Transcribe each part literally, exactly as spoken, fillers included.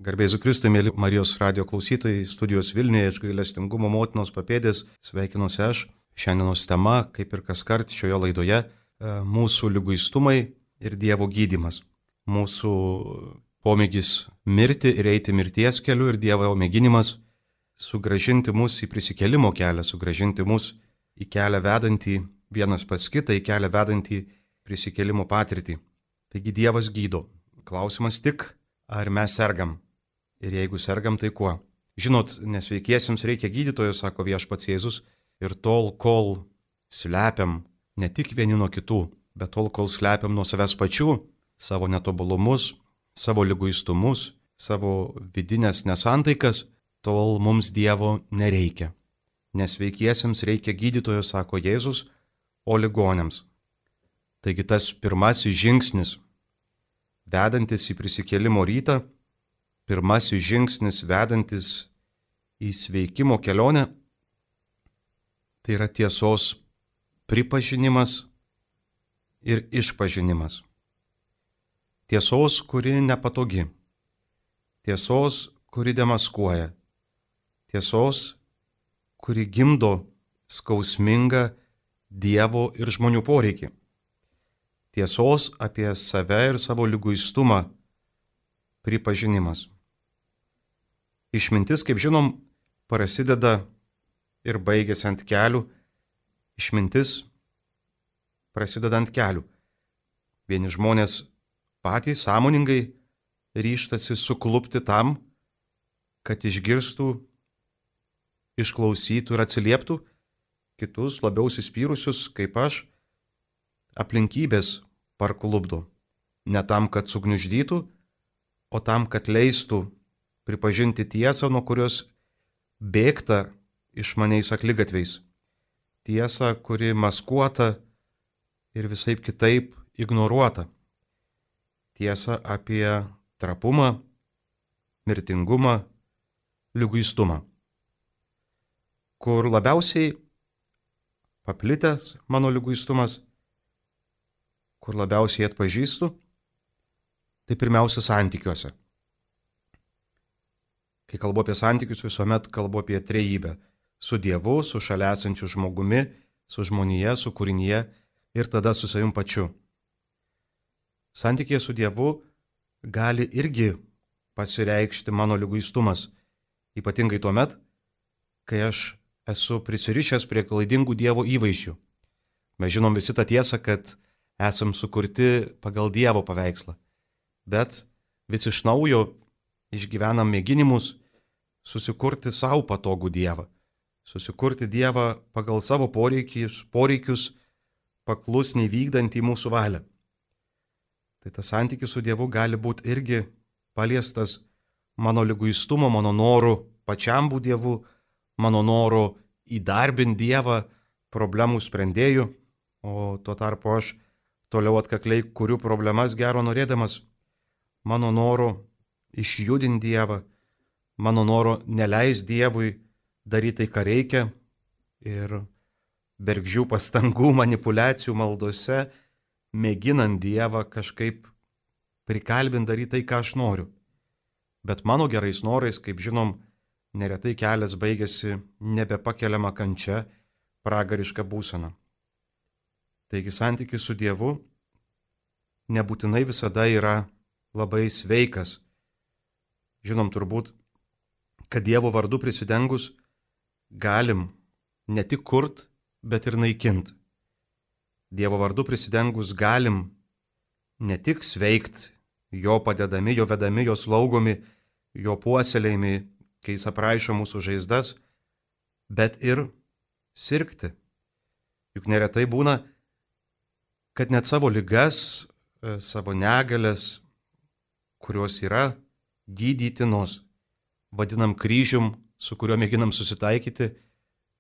Garbėsiu Kristui, mėly Marijos radio klausytojai, studijos Vilniuje iš gailestingumo motinos papėdės, sveikinuosi aš. Šiandienos tema, kaip ir kaskart šioje laidoje, mūsų liguistumai ir Dievo gydymas. Mūsų pomėgis mirti ir eiti mirties keliu ir Dievo mėginimas sugražinti mus į prisikėlimo kelią, sugražinti mus į kelią vedantį vienas pas kitą, į kelią vedantį prisikėlimo patirtį. Taigi Dievas gydo. Klausimas tik, ar mes sergam? Ir jeigu sergam, tai kuo? Žinot, nesveikiesiems reikia gydytojo, sako Viešpats Jėzus, ir tol, kol slepiam ne tik vieni nuo kitų, bet tol, kol slepiam nuo savęs pačių, savo netobulumus, savo liguistumus, savo vidinės nesantaikas, tol mums Dievo nereikia. Nesveikiesiems reikia gydytojo, sako Jėzus, o ligoniams. Taigi tas pirmasis žingsnis, vedantis į prisikėlimo rytą, pirmasis žingsnis vedantis į sveikimo kelionę, tai yra tiesos pripažinimas ir išpažinimas. Tiesos, kuri nepatogi. Tiesos, kuri demaskuoja. Tiesos, kuri gimdo skausmingą Dievo ir žmonių poreikį. Tiesos apie save ir savo liguistumą pripažinimas. Išmintis, kaip žinom, prasideda ir baigiasi ant kelių. Išmintis prasideda ant kelių. Vieni žmonės patys sąmoningai ryžtasi suklupti tam, kad išgirstų, išklausytų ir atsilieptų, kitus labiau įsispyrusius, kaip aš, aplinkybės parklupdo. Ne tam, kad sugniuždytų, o tam, kad leistų pripažinti tiesą, nuo kurios bėgta išmaniais akligatviais. Tiesą, kuri maskuota ir visaip kitaip ignoruota. Tiesą apie trapumą, mirtingumą, liguistumą. Kur labiausiai paplitęs mano liguistumas, kur labiausiai atpažįstu, tai pirmiausia santykiuose. Kai kalbu apie santykius, visuomet kalbu apie trejybę. Su Dievu, su šalia esančiu žmogumi, su žmonija, su kūrinyje ir tada su savim pačiu. Santykyje su Dievu gali irgi pasireikšti mano liguistumas. Ypatingai tuomet, kai aš esu prisirišęs prie klaidingų Dievo įvaizdžių. Mes žinom visi tą tiesą, kad esam sukurti pagal Dievo paveikslą. Bet vis iš naujo išgyvenam mėginimus susikurti savo patogų Dievą. Susikurti Dievą pagal savo poreikius, poreikius paklusniai vykdantį mūsų valią. Tai tas santykis su Dievu gali būti irgi paliestas mano liguistumo, mano norų pačiam būti Dievu, mano norų įdarbinti Dievą problemų sprendėjų, o tuo tarpu aš toliau atkakliai kuriu problemas gero norėdamas, mano noro išjudinti Dievą, mano noro neleis Dievui daryti tai, ką reikia, ir bergždžių pastangų, manipulacijų maldose, mėginant Dievą kažkaip prikalbinti daryti tai, ką aš noriu. Bet mano gerais norais, kaip žinom, neretai kelias baigėsi nebepakeliama kančia, pragariška būsena. Taigi santykis su Dievu nebūtinai visada yra labai sveikas. Žinom turbūt, kad Dievo vardu prisidengus galim ne tik kurt, bet ir naikint. Dievo vardu prisidengus galim ne tik sveikt, jo padedami, jo vedami, jo slaugomi, jo puoselėjami, kai jis apraišo mūsų žaizdas, bet ir sirgti. Juk neretai būna, kad net savo ligas, savo negalės, kurios yra gydytinos, vadinam kryžium, su kuriuo mėginam susitaikyti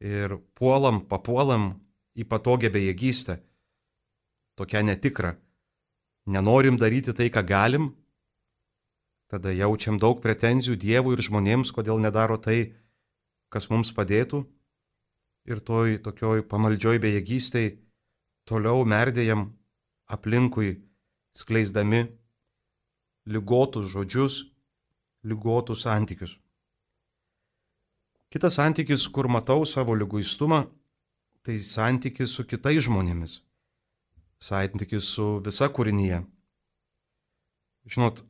ir puolam, papuolam į patogią bejėgystę, tokią netikrą. Nenorim daryti tai, ką galim, tada jaučiam daug pretenzijų Dievui ir žmonėms, kodėl nedaro tai, kas mums padėtų, ir toj tokioj pamaldžioj bejėgystėj toliau merdėjam aplinkui, skleisdami ligotus žodžius, lygotų santykius. Kitas santykis, kur matau savo liguistumą, tai santykis su kitais žmonėmis. Santykis su visa kūrinyje. Žinot,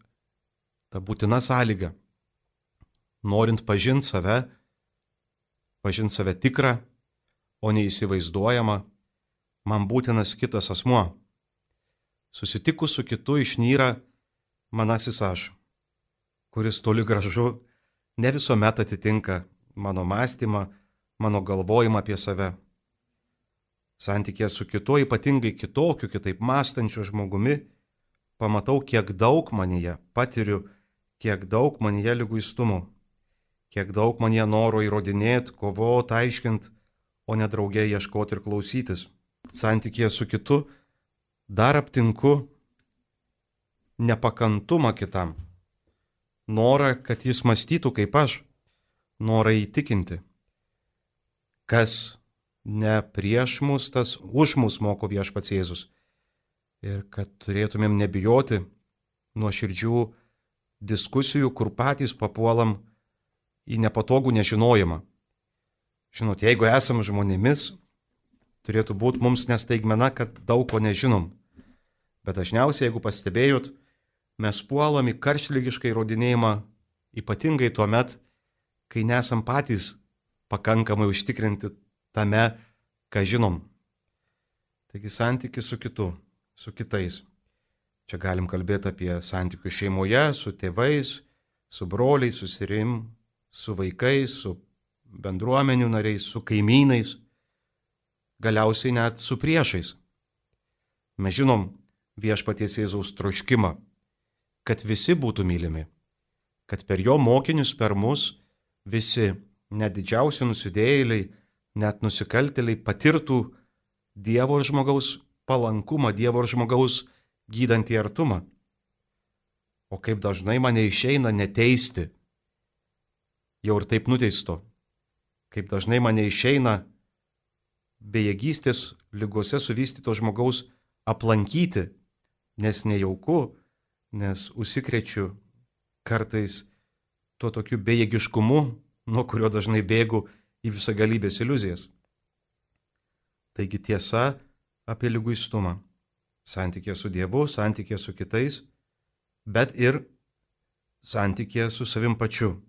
ta būtina sąlyga. Norint pažinti save, pažinti save tikrą, o neįsivaizduojama, man būtinas kitas asmuo. Susitikus su kitu išnyra manasis aš, kuris toli gražu ne visuomet atitinka mano mąstymą, mano galvojimą apie save. Santykė su kitu, ypatingai kitokiu, kitaip mąstančiu žmogumi, pamatau, kiek daug manyje patiriu, kiek daug manyje liguistumo, kiek daug manyje noro įrodinėti, kovoti, aiškinti, o ne draugė ieškoti ir klausytis. Santykė su kitu dar aptinku nepakantumą kitam, norą, kad jis mąstytų kaip aš, norą įtikinti. Kas ne prieš mus, tas už mus moko Viešpats Jėzus. Ir kad turėtumėm nebijoti nuoširdžių diskusijų, kur patys papuolam į nepatogų nežinojimą. Žinot, jeigu esam žmonėmis, turėtų būti mums nestaigmena, kad daug ko nežinom. Bet dažniausiai, jeigu pastebėjot, mes puolam į karštligišką įrodinėjimą, ypatingai tuo met, kai nesam patys pakankamai užtikrinti tame, ką žinom. Taigi santykis su kitu, su kitais. Čia galim kalbėti apie santykius šeimoje, su tėvais, su broliais, su serim, su vaikais, su bendruomenių nariais, su kaimynais, galiausiai net su priešais. Mes žinom Viešpaties Jėzaus troškimą, kad visi būtų mylimi, kad per jo mokinius, per mus visi, net didžiausi nusidėjėliai, net nusikaltėliai patirtų Dievo ir žmogaus palankumą, Dievo ir žmogaus gydantį artumą. O kaip dažnai mane išeina neteisti, jau ir taip nuteisto, kaip dažnai mane išeina bejėgystės ligose suvystyto žmogaus aplankyti, nes nejauku, nes užsikrečiu kartais tuo tokiu bejėgiškumu, nuo kurio dažnai bėgu į visagalybės iliuzijas. Taigi tiesa apie liguistumą. Santykė su Dievu, santykė su kitais, bet ir santykė su savim pačiu.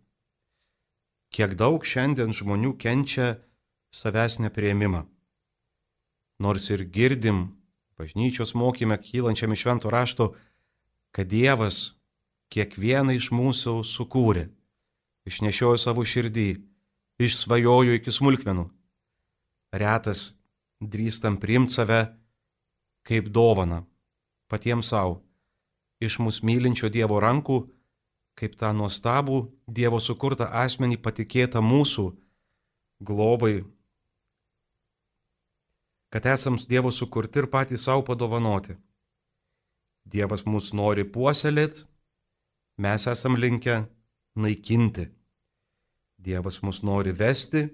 Kiek daug šiandien žmonių kenčia savęs nepriėmimą. Nors ir girdim bažnyčios mokyme kylančiam iš švento rašto, kad Dievas kiekvieną iš mūsų sukūrė, išnešiojo savo širdį, išsvajojo iki smulkmenų. Retas drįstam priimti save kaip dovaną, patiems savo, iš mūsų mylinčio Dievo rankų, kaip tą nuostabų Dievo sukurtą asmenį patikėtą mūsų globai, kad esam Dievo sukurti ir patys savo padovanoti. Dievas mus nori puoselėti, mes esam linkę naikinti. Dievas mus nori vesti,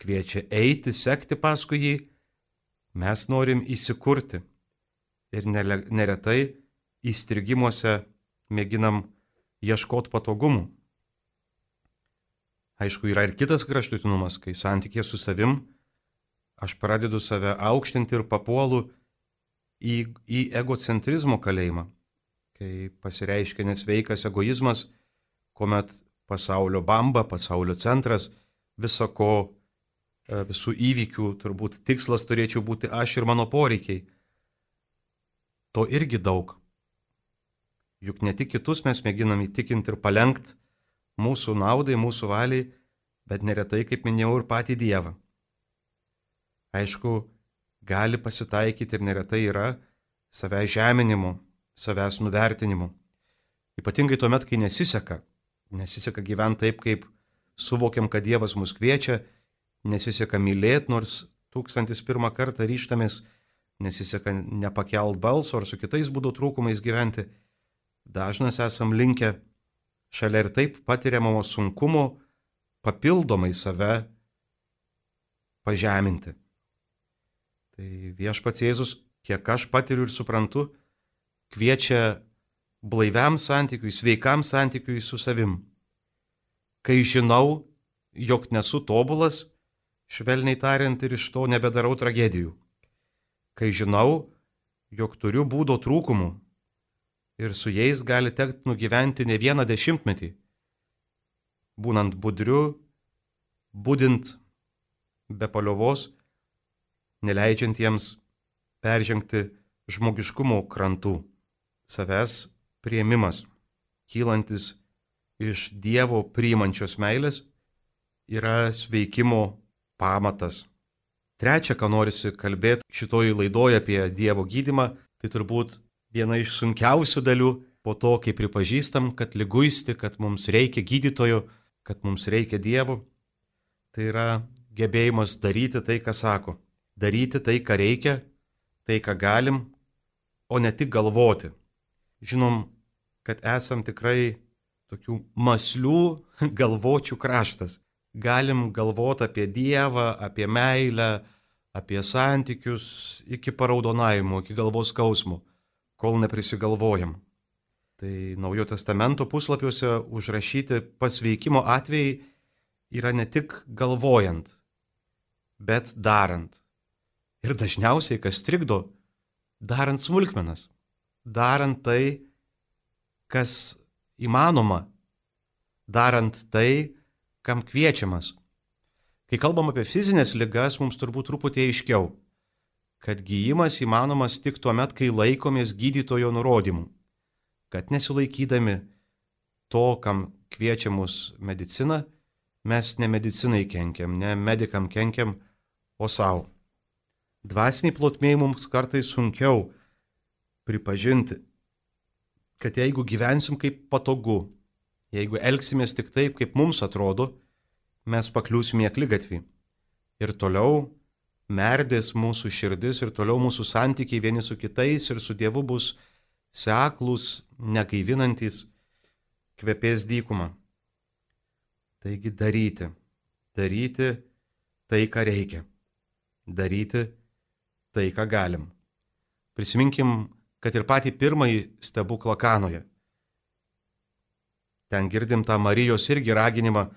kviečia eiti, sekti paskui jį, mes norim įsikurti ir neretai įstrigimuose mėginam ieškoti patogumų. Aišku, yra ir kitas kraštutinumas, kai santykė su savim aš pradedu save aukštinti ir papuolu į, į egocentrizmo kalėjimą, kai pasireiškia nesveikas egoizmas, kuomet pasaulio bamba, pasaulio centras, viso ko, visų įvykių, turbūt tikslas turėčiau būti aš ir mano poreikiai. To irgi daug. Juk ne tik kitus mes mėginam įtikinti ir palenkti mūsų naudai, mūsų valiai, bet neretai, kaip minėjau, ir patį Dievą. Aišku, gali pasitaikyti ir neretai yra savęs žeminimo, savęs nuvertinimo. Ypatingai tuomet, kai nesiseka. Nesiseka gyventi taip, kaip suvokiam, kad Dievas mus kviečia, nesiseka mylėti, nors tūkstantis pirmą kartą ryžtamės, nesiseka nepakelt balso ar su kitais būdo trūkumais gyventi. Dažnas esam linkę šalia ir taip patiriamo sunkumo papildomai save pažeminti. Tai Viešpats Jėzus, kiek aš patiriu ir suprantu, kviečia blaiviam santykiui, sveikam santykiui su savim. Kai žinau, jog nesu tobulas, švelniai tariant, ir iš to nebedarau tragedijų. Kai žinau, jog turiu būdo trūkumų ir su jais gali tekti nugyventi ne vieną dešimtmetį, būnant budriu, budint be paliovos, neleidžiant jiems peržengti žmogiškumo krantų. Savęs priėmimas, kylantis iš Dievo priimančios meilės, yra sveikimo pamatas. Trečia, ką norisi kalbėti šitoj laidoje apie Dievo gydymą, tai turbūt viena iš sunkiausių dalių po to, kai pripažįstam, kad liguisti, kad mums reikia gydytojo, kad mums reikia Dievo, tai yra gebėjimas daryti tai, ką sako. Daryti tai, ką reikia, tai, ką galim, o ne tik galvoti. Žinom, kad esam tikrai tokių mąslių galvočių kraštas. Galim galvoti apie Dievą, apie meilę, apie santykius iki paraudonavimo, iki galvos skausmo, kol neprisigalvojam. Tai Naujojo testamento puslapiuose užrašyti pasveikimo atvejai yra ne tik galvojant, bet darant. Ir dažniausiai, kas trikdo, darant smulkmenas, darant tai, kas įmanoma, darant tai, kam kviečiamas. Kai kalbam apie fizinės ligas, mums turbūt truputį aiškiau, kad gyjimas įmanomas tik tuo met, kai laikomės gydytojo nurodymų, kad nesilaikydami to, kam kviečia mus medicina, mes ne medicinai kenkiam, ne medikam kenkiam, o savo. Dvasiniai plotmėj mums kartais sunkiau pripažinti, kad jeigu gyvensim kaip patogu, jeigu elgsimės tik taip, kaip mums atrodo, mes pakliūsim į akligatvį. Ir toliau merdės mūsų širdis, ir toliau mūsų santykiai vieni su kitais ir su Dievu bus seklūs, negaivinantys, kvepės dykumą. Taigi daryti, daryti tai, ką reikia, daryti tai, ką galim. Prisiminkim, kad ir patį pirmąjį stebuklą Kanoje. Ten girdim tą Marijos irgi raginimą: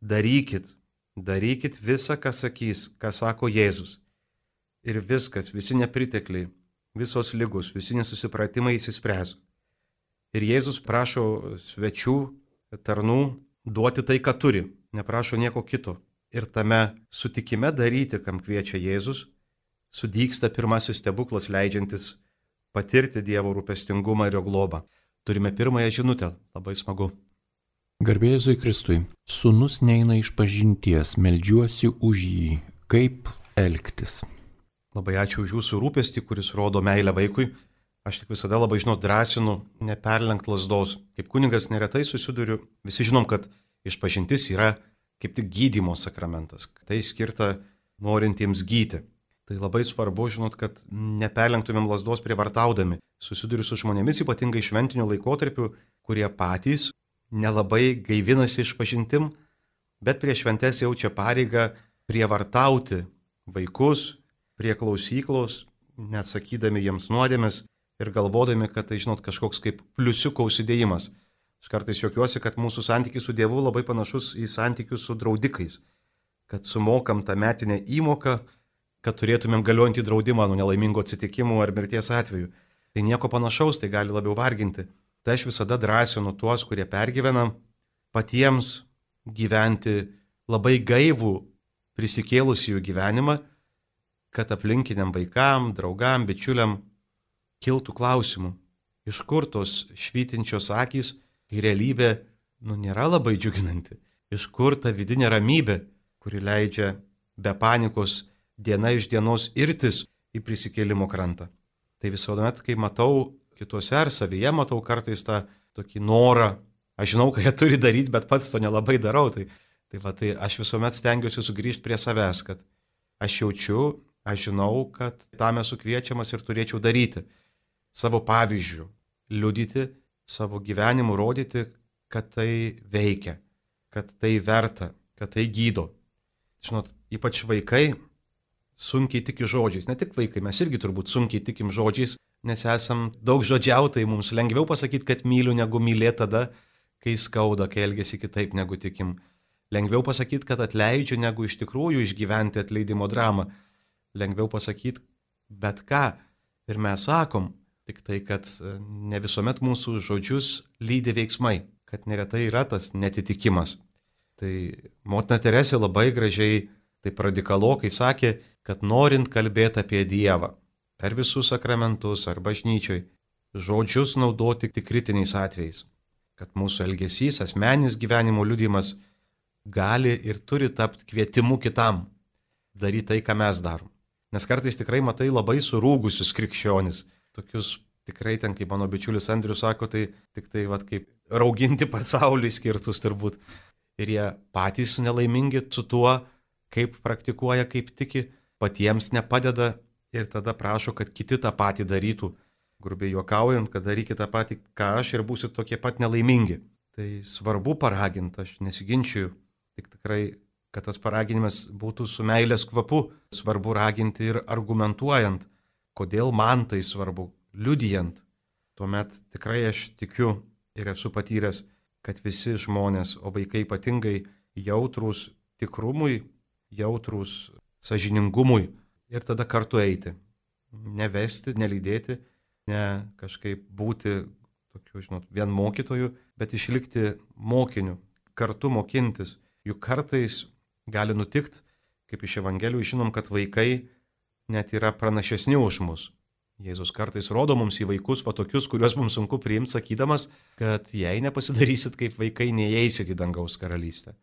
darykit, darykit visą, ką sakys, ką sako Jėzus. Ir viskas, visi nepritekliai, visos ligos, visi nesusipratimai įsispręs. Ir Jėzus prašo svečių, tarnų duoti tai, ką turi, neprašo nieko kito. Ir tame sutikime daryti, kam kviečia Jėzus, sudygsta pirmasis stebuklas, leidžiantis patirti Dievo rūpestingumą ir jo globą. Turime pirmąją žinutę, labai smagu. Garbė Jėzui Kristui. Sūnus neina iš pažinties, meldžiuosi už jį. Kaip elgtis? Labai ačiū už jūsų rūpestį, kuris rodo meilę vaikui. Aš tik visada labai, žinau, drąsinu neperlenkt lazdos. Kaip kunigas neretai susiduriu, visi žinom, kad išpažintis yra kaip tik gydymo sakramentas. Tai skirta norintiems gyti. Tai labai svarbu, žinot, kad neperlenktumėm lazdos prievartaudami. Susiduriu su žmonėmis, ypatingai šventiniu laikotarpiu, kurie patys nelabai gaivinasi išpažintim, bet prie šventės jaučia pareigą prievartauti vaikus prie klausyklos, neatsakydami jiems nuodėmės ir galvodami, kad tai, žinot, kažkoks kaip pliusiuko užsidėjimas. Aš kartais juokiuosi, kad mūsų santykis su Dievu labai panašus į santykius su draudikais, kad sumokam tą metinę įmoką, kad turėtumėm galiojantį draudimą nuo nelaimingų atsitikimų ar mirties atveju. Tai nieko panašaus, tai gali labiau varginti. Tai aš visada drąsinu tuos, kurie pergyvena, patiems gyventi labai gaivų prisikėlusiųjų gyvenimą, kad aplinkiniam vaikam, draugam, bičiuliam kiltų klausimų, iš kur tos švytinčios akys, kai realybė, nu, nėra labai džiuginanti. Iš kur ta vidinė ramybė, kuri leidžia be panikos diena iš dienos irtis į prisikėlimo krantą. Tai visuomet, kai matau kituose ar savyje, matau kartais tą tokį norą, aš žinau, ką jie turi daryti, bet pats to nelabai darau, tai, tai, va, tai aš visuomet stengiuosi sugrįžti prie savęs, kad aš jaučiu, aš žinau, kad tam esu kviečiamas ir turėčiau daryti. Savo pavyzdžių, liudyti, savo gyvenimu rodyti, kad tai veikia, kad tai verta, kad tai gydo. Žinot, ypač vaikai sunkiai tiki žodžiais, ne tik vaikai, mes irgi turbūt sunkiai tikim žodžiais, nes esam daug žodžiautai, mums lengviau pasakyti, kad myliu, negu mylėti tada, kai skauda, kai elgesi kitaip, negu tikim. Lengviau pasakyti, kad atleidžiu, negu iš tikrųjų išgyventi atleidimo dramą. Lengviau pasakyti bet ką. Ir mes sakom, tik tai, kad ne visuomet mūsų žodžius lydi veiksmai, kad neretai yra tas netitikimas. Tai motina Teresė labai gražiai, taip radikalokai sakė, kad norint kalbėti apie Dievą per visus sakramentus ar bažnyčioj, žodžius naudoti tik kritiniais atvejais. Kad mūsų elgesys, asmeninis gyvenimo liudijimas gali ir turi tapti kvietimu kitam daryti tai, ką mes darom. Nes kartais tikrai matai labai surūgusius krikščionis. Tokius tikrai ten, kaip mano bičiulis Andrius sako, tai tik tai vat, kaip rauginti pasaulį skirtus turbūt. Ir jie patys nelaimingi su tuo, kaip praktikuoja, kaip tiki, patiems nepadeda ir tada prašo, kad kiti tą patį darytų. Grubiai juokaujant, kad darykite tą patį, ką aš ir būsit tokie pat nelaimingi. Tai svarbu paraginti, aš nesiginčiu, tik tikrai, kad tas paraginimas būtų su meilės kvapu. Svarbu raginti ir argumentuojant, kodėl man tai svarbu, liudijant. Tuomet tikrai aš tikiu ir esu patyręs, kad visi žmonės, o vaikai ypatingai jautrūs tikrumui, jautrūs sąžiningumui ir tada kartu eiti. Nevesti, nelydėti, ne kažkaip būti tokiu, žinot, vien mokytoju, bet išlikti mokiniu, kartu mokintis. Juk kartais gali nutikti, kaip iš Evangelijų žinom, kad vaikai net yra pranašesni už mus. Jėzus kartais rodo mums į vaikus va tokius, kuriuos mums sunku priimti, sakydamas, kad jei nepasidarysit kaip vaikai, neįeisit į dangaus karalystę.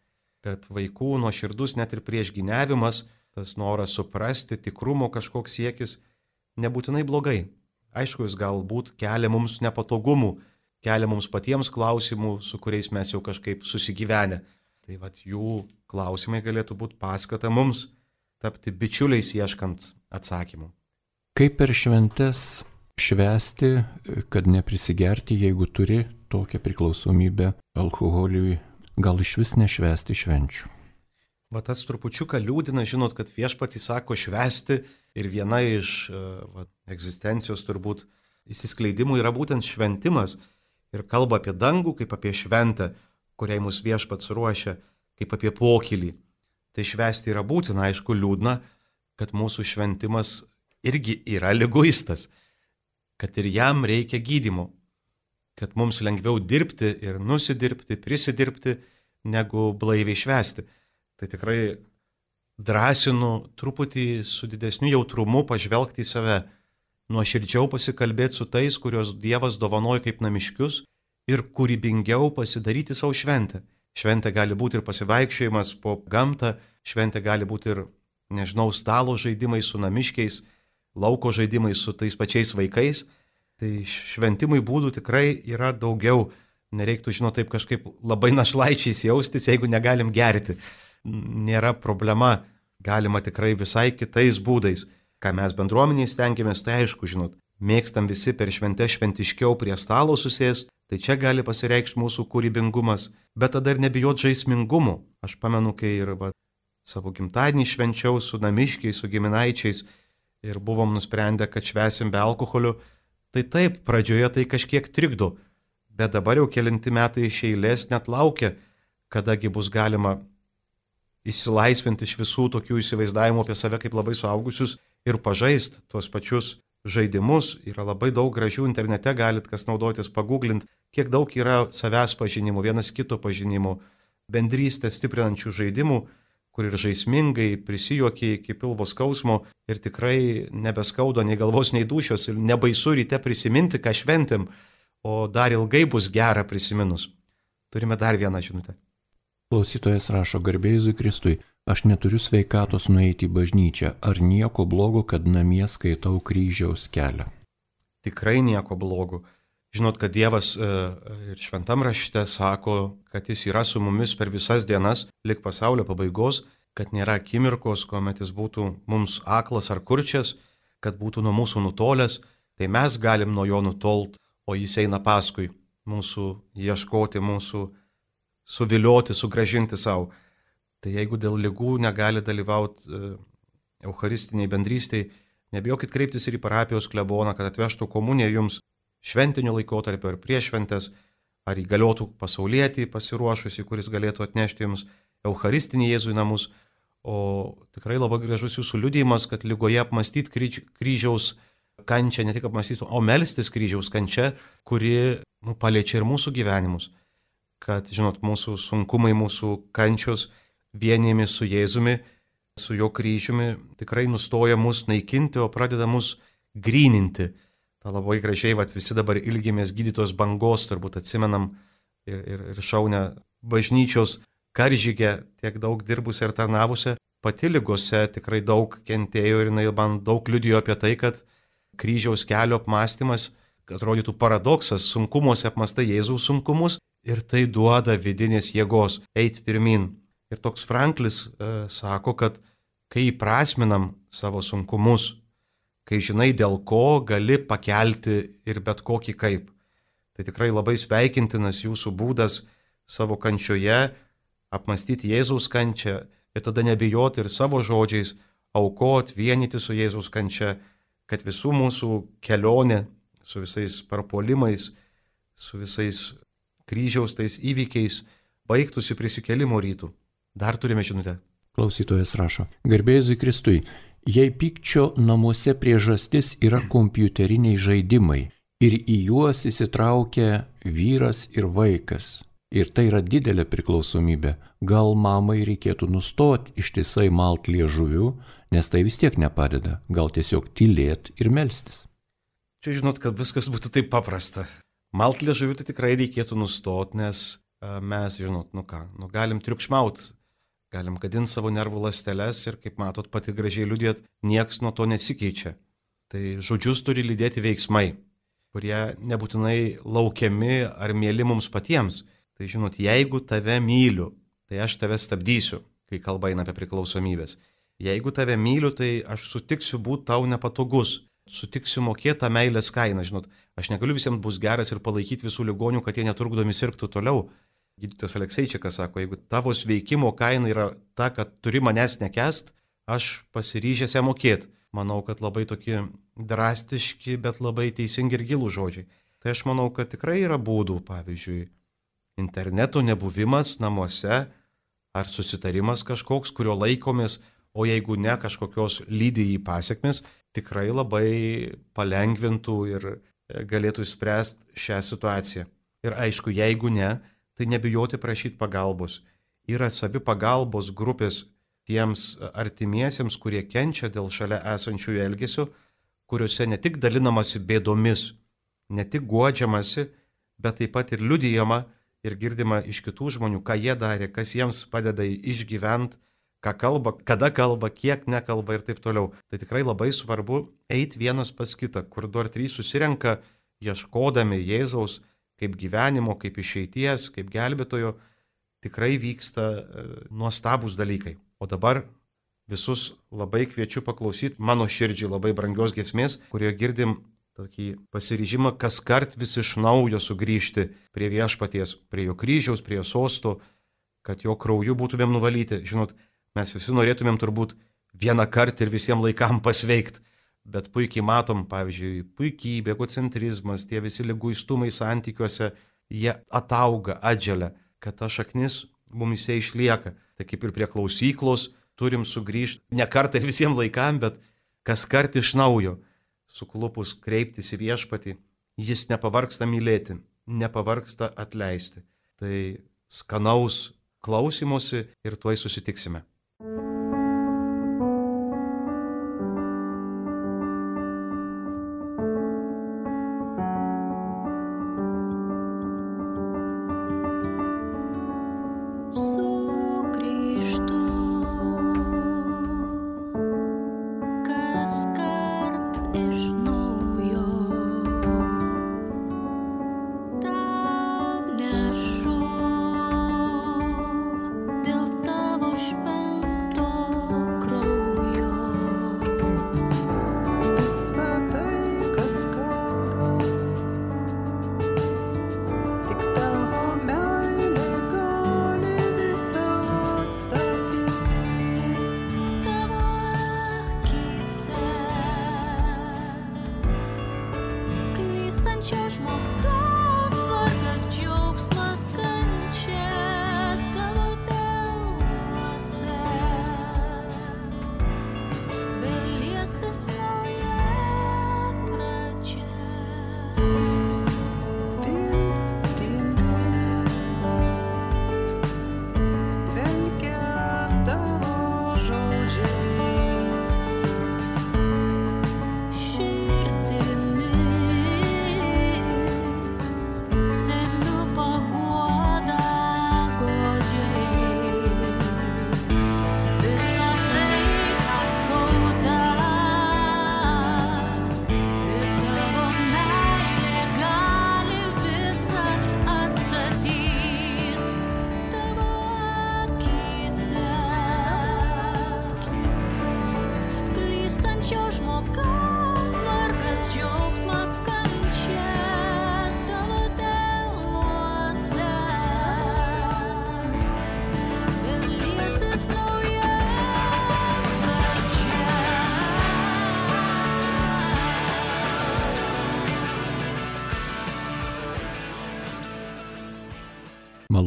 Kad vaikų nuoširdus net ir priešgyniavimas, tas noras suprasti, tikrumo kažkoks siekis, nebūtinai blogai. Aišku, jis galbūt kelia mums nepatogumų, kelia mums patiems klausimų, su kuriais mes jau kažkaip susigyvenę. Tai vat jų klausimai galėtų būti paskata mums tapti bičiuliais ieškant atsakymų. Kaip per šventes švęsti, kad neprisigerti, jeigu turi tokią priklausomybę alkoholiui, gal iš vis nešvęsti švenčių? Va tas trupučiuką liūdina, žinot, kad viešpatys sako švęsti ir viena iš va, egzistencijos turbūt įsiskleidimų yra būtent šventimas ir kalba apie dangų kaip apie šventę, kuriai mus viešpats ruošia, kaip apie pokylį. Tai švęsti yra būtina, aišku, liūdna, kad mūsų šventimas irgi yra liguistas, kad ir jam reikia gydymo, kad mums lengviau dirbti ir nusidirbti, prisidirbti, negu blaiviai švęsti. Tai tikrai drąsinu truputį su didesniu jautrumu pažvelgti į save, nuoširdžiau pasikalbėti su tais, kuriuos Dievas dovanoja kaip namiškius ir kūrybingiau pasidaryti savo šventę. Šventė gali būti ir pasivaikščiojimas po gamtą, šventė gali būti ir, nežinau, stalo žaidimai su namiškiais, lauko žaidimai su tais pačiais vaikais. Tai šventimui būdų tikrai yra daugiau. Nereiktų, žinot, taip kažkaip labai našlaičiais jaustis, jeigu negalim gerti. Nėra problema, galima tikrai visai kitais būdais. Ką mes bendruomeniai stengiamės, tai aišku, žinot, mėgstam visi per šventę šventiškiau prie stalo susėsti, tai čia gali pasireikšti mūsų kūrybingumas, bet tada ir nebijot žaismingumu. Aš pamenu, kai ir va, savo gimtadienį švenčiau su namiškiais, su giminaičiais ir buvom nusprendę, kad švęsim be alkoholio, tai taip, pradžioje tai kažkiek trikdo, bet dabar jau kelinti metai iš eilės net laukia, kadagi bus galima išsilaisvinti iš visų tokių įsivaizdavimų apie save kaip labai suaugusius ir pažaist tuos pačius žaidimus. Yra labai daug gražių internete, galit kas naudotis, pagooglint, kiek daug yra savęs pažinimų, vienas kito pažinimų, bendrystę stiprinančių žaidimų, kur ir žaismingai prisijuokia iki pilvo skausmo ir tikrai nebeskaudo nei galvos, nei dūšios ir nebaisu ryte prisiminti, ką šventėm, o dar ilgai bus gera prisiminus. Turime dar vieną žinutę. Klausytojas rašo: garbė Jėzui Kristui, aš neturiu sveikatos nueiti į bažnyčią. Ar nieko blogo, kad namie skaitau kryžiaus kelią? Tikrai nieko blogo. Žinot, kad Dievas e, ir šventam rašte sako, kad jis yra su mumis per visas dienas, lik pasaulio pabaigos, kad nėra akimirkos, kuomet jis būtų mums aklas ar kurčias, kad būtų nuo mūsų nutolęs, tai mes galim nuo jo nutolt, o jis eina paskui mūsų ieškoti, mūsų suvilioti, sugražinti savo. Tai jeigu dėl ligų negali dalyvauti e, eucharistiniai bendrystėj, Nebijokit kreiptis ir į parapijos kleboną, kad atvežtų komuniją jums šventiniu laikotarpiu ar prieš šventes, ar įgaliotų pasaulietį pasiruošusi, kuris galėtų atnešti jums Eucharistinį Jėzų į namus. O tikrai labai gražus jūsų liudijimas, kad lygoje apmastyti kryž, kryžiaus kančią, ne tik apmastyti, o melstis kryžiaus kančia, kuri nu, paliečia ir mūsų gyvenimus. Kad, žinot, mūsų sunkumai, mūsų kančios vienijami su Jėzumi, su jo kryžiumi, tikrai nustoja mus naikinti, o pradeda mus gryninti. Ta labai gražiai, vat, visi dabar ilgimės gydytos bangos, turbūt atsimenam ir, ir, ir šaunę bažnyčios karžygę, tiek daug dirbusią ir tarnavusią. Pati ligose tikrai daug kentėjo ir jinai man daug liudijo apie tai, kad kryžiaus kelio apmąstymas, atrodytų paradoksas, sunkumuose apmąstai Jėzaus sunkumus ir tai duoda vidinės jėgos eiti pirmin. Ir toks Franklis e, sako, kad kai įprasminam savo sunkumus, kai žinai dėl ko, gali pakelti ir bet kokį kaip. Tai tikrai labai sveikintinas jūsų būdas savo kančioje apmastyti Jėzaus kančią ir tada nebijoti ir savo žodžiais aukot, vienyti su Jėzaus kančia, kad visų mūsų kelionė su visais parpuolimais, su visais kryžiaus tais įvykiais baigtųsi prisikėlimo rytų. Dar turime žinutę. Klausytojas rašo. Garbėzui Kristui. Jei pykčio namuose priežastis yra kompiuteriniai žaidimai ir į juos įsitraukia vyras ir vaikas, ir tai yra didelė priklausomybė, gal mamai reikėtų nustoti ištisai malt liežuviu, nes tai vis tiek nepadeda, gal tiesiog tylėt ir melstis. Čia žinot, kad viskas būtų taip paprasta. Malt liežuviu tai tikrai reikėtų nustoti, nes a, mes, žinot, nu ką, nu galim triukšmaut. Galim gadinti savo nervų ląsteles ir, kaip matot, pati gražiai liudėt, nieks nuo to nesikeičia. Tai žodžius turi lydėti veiksmai, kurie nebūtinai laukiami ar mėly mums patiems. Tai žinot, jeigu tave myliu, tai aš tave stabdysiu, kai kalba eina apie priklausomybės. Jeigu tave myliu, tai aš sutiksiu būti tau nepatogus, sutiksiu mokėti tą meilės kainą. Žinot, aš negaliu visiems bus geras ir palaikyti visų ligonių, kad jie netrukdomi sirgtų toliau. Gydytojas Alekseičikas sako, jeigu tavo sveikimo kaina yra ta, kad turi manęs nekęst, aš pasiryžęs ją mokėti. Manau, kad labai tokie drastiški, bet labai teisingi ir gilų žodžiai. Tai aš manau, kad tikrai yra būdų, pavyzdžiui, interneto nebuvimas namuose ar susitarimas kažkoks, kurio laikomės, o jeigu ne kažkokios lydi į pasiekmes, tikrai labai palengvintų ir galėtų išspręsti šią situaciją. Ir aišku, jeigu ne, tai nebijoti prašyti pagalbos. Yra savi pagalbos grupės tiems artimiesiems, kurie kenčia dėl šalia esančiųjų elgesio, kuriuose ne tik dalinamasi bėdomis, ne tik guodžiamasi, bet taip pat ir liudijama ir girdima iš kitų žmonių, ką jie darė, kas jiems padeda išgyventi, ką kalba, kada kalba, kiek nekalba ir taip toliau. Tai tikrai labai svarbu eiti vienas pas kitą, kur du ar trys susirenka, ieškodami Jėzaus, kaip gyvenimo, kaip išeities, kaip gelbėtojo, tikrai vyksta e, nuostabūs dalykai. O dabar visus labai kviečiu paklausyti mano širdžiai labai brangios giesmės, kurioje girdim tokį pasiryžimą kas kart vis iš naujo sugrįžti prie viešpaties, prie jo kryžiaus, prie jo sosto, kad jo krauju būtumėm nuvalyti. Žinot, mes visi norėtumėm turbūt vieną kartą ir visiems laikam pasveikti. Bet puikiai matom, pavyzdžiui, puikybė, egocentrizmas, tie visi liguistumai santykiuose, jie atauga, atželia, kad ta šaknis mumise išlieka. Tai kaip ir prie klausyklos turim sugrįžti ne kartą ir visiems laikam, bet kas kart iš naujo, suklupus kreiptis į viešpatį, jis nepavargsta mylėti, nepavargsta atleisti. Tai skanaus klausymosi ir tuoj susitiksime. Dėl tavo šventės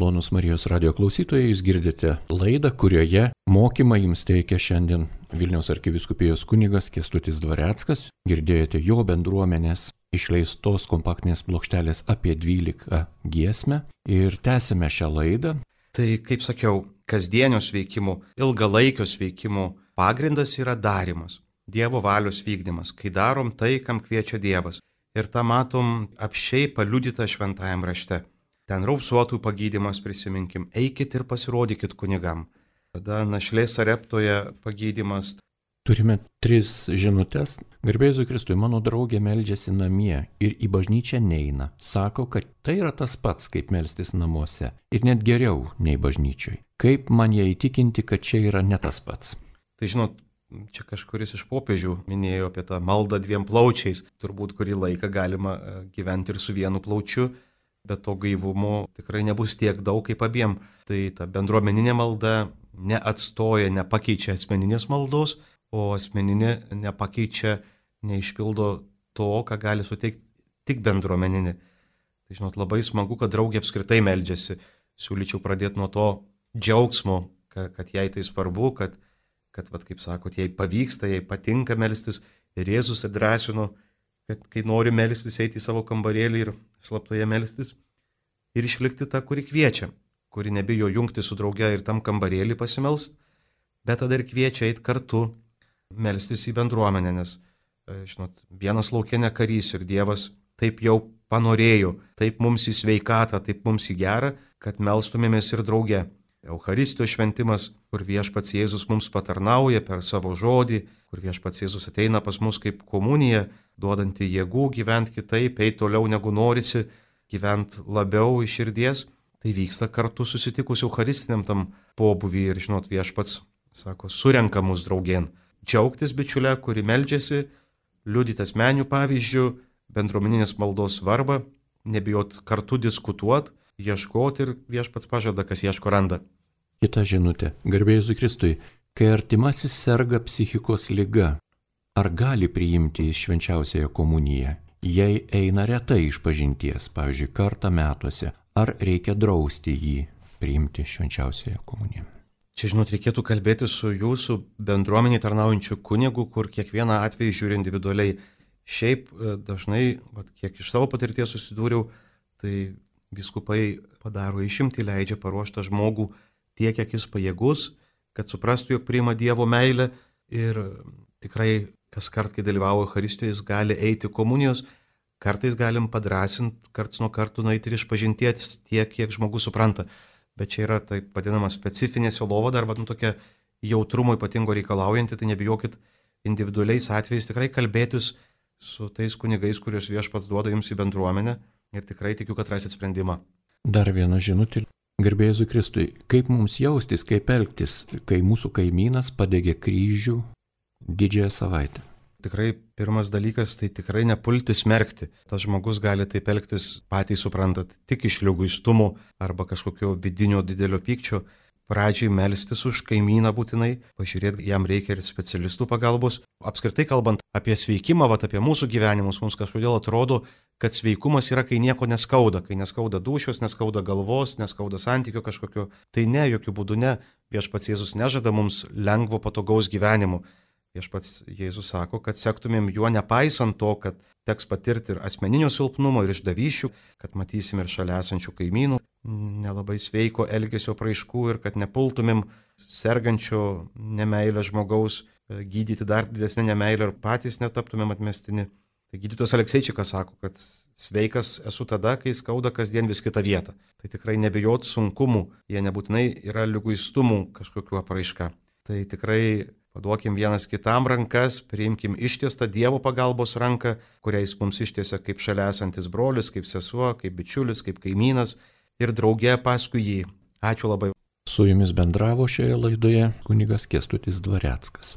Malonus Marijos radio klausytojai, jūs girdite laidą, kurioje mokymą jums teikia šiandien Vilniaus arkivyskupijos kunigas Kęstutis Dvareckas. Girdėjote jo bendruomenės išleistos kompaktinės plokštelės apie dvylika giesmę ir tęsime šią laidą. Tai, kaip sakiau, kasdienio sveikimo, ilgalaikio sveikimo pagrindas yra darimas, Dievo valios vykdymas, kai darom tai, kam kviečia Dievas. Ir tą matom apsčiai paliudytą šventajam rašte. Ten raupsuotų pagydymas, prisiminkim, eikit ir pasirodykit kunigam. Tada našlės Sareptoje pagydymas. Turime tris žinutės. Garbė Jėzui Kristui, mano draugė meldžiasi namie ir į bažnyčią neina. Sako, kad tai yra tas pats, kaip melstis namuose. Ir net geriau nei bažnyčioj. Kaip man ją įtikinti, kad čia yra ne tas pats? Tai žinot, čia kažkuris iš popiežių minėjo apie tą maldą dviem plaučiais. Turbūt kurį laiką galima gyventi ir su vienu plaučiu, bet to gaivumo tikrai nebus tiek daug kaip abiem. Tai ta bendruomeninė malda neatstoja, nepakeičia asmeninės maldos, o asmeninė nepakeičia, neišpildo to, ką gali suteikti tik bendruomeninė. Tai žinot, labai smagu, kad draugė apskritai meldžiasi. Siūlyčiau pradėti nuo to džiaugsmo, kad, kad jai tai svarbu, kad kad, vat, kaip sakot, jai pavyksta, jai patinka melstis ir Jėzus atdrasino, kad kai nori melstis, eiti į savo kambarėlį ir slaptoje melstis ir išlikti tą, kuri kviečia, kuri nebijo jungti su drauge ir tam kambarėlį pasimelst, bet tada ir kviečia eiti kartu melstis į bendruomenę, nes, žinot, vienas lauke ne karys ir Dievas taip jau panorėjo, taip mums į sveikatą, taip mums į gerą, kad melstumėmės ir drauge. Eucharistijos šventimas, kur viešpats Jėzus mums patarnauja per savo žodį, kur viešpats Jėzus ateina pas mus kaip komunija, duodanti jėgų gyventi kitaip, eiti toliau negu norisi, gyventi labiau iš širdies, tai vyksta kartu susitikus eucharistiniam tam pobuvį ir, žinot, viešpats, sako, surenka mus draugien. Džiaugtis bičiulę, kuri meldžiasi, liudyti asmenių pavyzdžių, bendruomeninės maldos svarbą, nebijot kartu diskutuoti, ieškoti ir viešpats pažada, kas ieško randa. Kita žinutė. Garbė Jėzui Kristui, kai artimasis serga psichikos liga, ar gali priimti į švenčiausiąją komuniją? Jei eina retai iš pažinties, pavyzdžiui, kartą metuose, ar reikia drausti jį priimti švenčiausiąją komuniją? Čia, žinot, reikėtų kalbėti su jūsų bendruomenį tarnaujančiu kunigu, kur kiekvieną atvejį žiūri individualiai. Šiaip dažnai, vat, kiek iš savo patirties susidūriau, tai vyskupai padaro išimtį, leidžia paruoštą žmogų tiek, kiek jis pajėgus, kad suprastų, jog priima Dievo meilę ir tikrai kas kart, kai dalyvauja Eucharistijoje, jis gali eiti komunijos, kartais galim padrasinti, karts nuo kartų nueiti ir išpažinties tiek, kiek žmogus supranta. Bet čia yra taip vadinama specifinė sielovada arba nu, tokia jautrumo ypatingo reikalaujanti, tai nebijokit individualiais atvejais tikrai kalbėtis su tais kunigais, kuriuos viešpats duoda jums į bendruomenę. Ir tikrai tikiu, kad rasit sprendimą. Dar viena žinutė. Garbė Jėzui Kristui, kaip mums jaustis, kaip elgtis, kai mūsų kaimynas padegė kryžių didžiąją savaitę? Tikrai pirmas dalykas, tai tikrai nepulti smerkti. Tas žmogus gali taip elgtis, patys suprantat, tik iš liguistumo arba kažkokio vidinio didelio pykčio. Pradžiai melstis už kaimyną būtinai, pažiūrėti, jam reikia ir specialistų pagalbos. Apskritai kalbant apie sveikimą, vat, apie mūsų gyvenimus, mums kažkodėl atrodo, kad sveikumas yra, kai nieko neskauda, kai neskauda dūšios, neskauda galvos, neskauda santykio kažkokio. Tai ne, jokių būdų ne. Viešpats Jėzus nežada mums lengvo, patogaus gyvenimo. Viešpats Jėzus sako, kad sektumėm juo nepaisant to, kad teks patirti ir asmeninio silpnumo, ir išdavysčių, kad matysim ir šalia esančių kaimynų nelabai sveiko elgesio praiškų ir kad nepultumėm sergančio nemeilę žmogaus gydyti dar didesnę nemeilę ir patys netaptumėm atmestini. Tai gydytojas Alekseičikas sako, kad sveikas esu tada, kai skauda kasdien vis kitą vietą. Tai tikrai nebijot sunkumų, jie nebūtinai yra liguistumų kažkokiu apraiška. Tai tikrai paduokim vienas kitam rankas, priimkim ištiestą Dievo pagalbos ranką, kuriais mums ištiesia kaip šalia esantis brolis, kaip sesuo, kaip bičiulis, kaip kaimynas ir drauge paskui jį. Ačiū labai. Su jumis bendravo šioje laidoje kunigas Kęstutis Dvareckas.